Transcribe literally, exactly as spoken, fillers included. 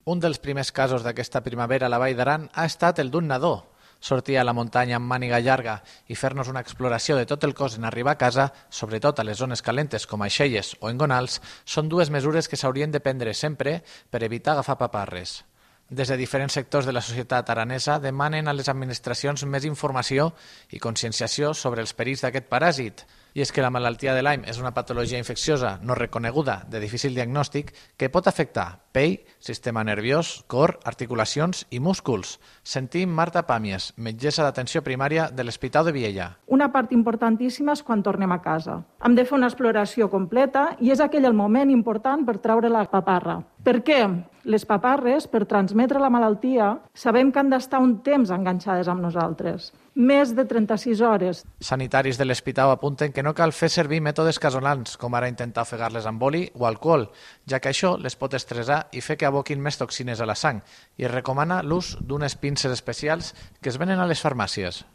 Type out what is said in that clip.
Un dels primers casos d'aquesta primavera a la Vall d'Aran ha estat el d'un nadó. Sortir a la muntanya amb màniga llarga i fer-nos una exploració de tot el cos en arribar a casa, sobretot a les zones calentes com a Aixelles o Engonals, són dues mesures que s'haurien de prendre sempre per evitar agafar paparres. Des de diferents sectors de la societat aranesa demanen a les administracions més informació i conscienciació sobre els perills d'aquest paràsit. I és que la malaltia de Lyme és una patologia infecciosa no reconeguda de difícil diagnòstic que pot afectar pell, sistema nerviós, cor, articulacions i músculs. Sentim Marta Pàmies, metgessa d'atenció primària de l'Hospital de Viella. Una part importantíssima és quan tornem a casa. Hem de fer una exploració completa i és aquell el moment important per treure la paparra. Per què? Les paparres, per transmetre la malaltia, sabem que han d'estar un temps enganxades amb nosaltres. Més de trenta-sis hores. Sanitaris de l'hospital apunten que no cal fer servir mètodes casolans, com ara intentar ofegar-les amb oli o alcohol, ja que això les pot estressar i fer que aboquin més toxines a la sang, i es recomana l'ús d'unes pinces especials que es venen a les farmàcies.